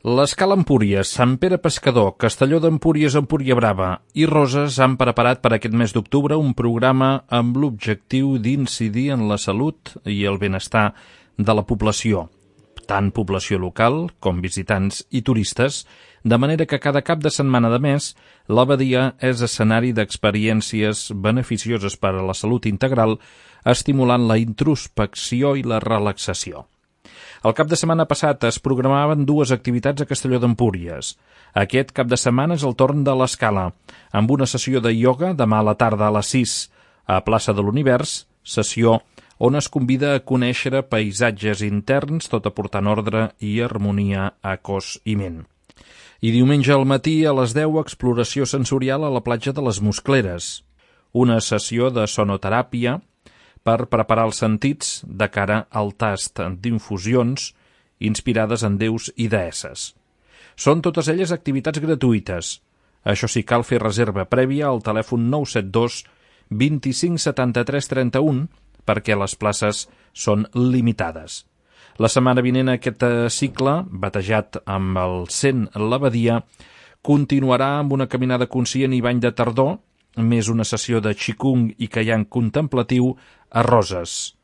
L'Escala Empúries, Sant Pere Pescador, Castelló d'Empúries, Empúria Brava i Roses han preparat per aquest mes d'octubre un programa amb l'objectiu d'incidir en la salut i el benestar de la població, tant població local com visitants i turistes, de manera que cada cap de setmana de mes l'Abadia és escenari d'experiències beneficioses per a la salut integral, estimulant la introspecció i la relaxació. El cap de setmana passat es programaven dues activitats a Castelló d'Empúries. Aquest cap de setmana és el torn de l'Escala, amb una sessió de ioga demà a la tarda a les 6 a Plaça de l'Univers, sessió on es convida a conèixer paisatges interns, tot aportant ordre i harmonia a cos i ment. I diumenge al matí a les 10 exploració sensorial a la platja de les Muscleres, una sessió de sonoteràpia per preparar els sentits de cara al tast d'infusions inspirades en déus i deesses. Són totes elles activitats gratuïtes. Això sí, cal fer reserva prèvia al telèfon 972 25 73 31 perquè les places són limitades. La setmana vinent aquest cicle, batejat amb el 100 l'Abadia, continuarà amb una caminada conscient i bany de tardor, més una sessió de Qigong i Kaiyang contemplatiu a Roses.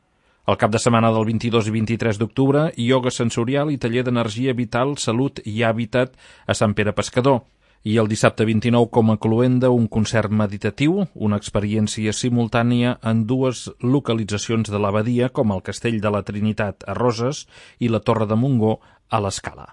El cap de setmana del 22 i 23 d'octubre, ioga sensorial i taller d'energia vital, salut i hàbitat a Sant Pere Pescador. I el dissabte 29, com a cloenda, un concert meditatiu, una experiència simultània en dues localitzacions de l'Abadia, com el Castell de la Trinitat a Roses i la Torre de Montgó a l'Escala.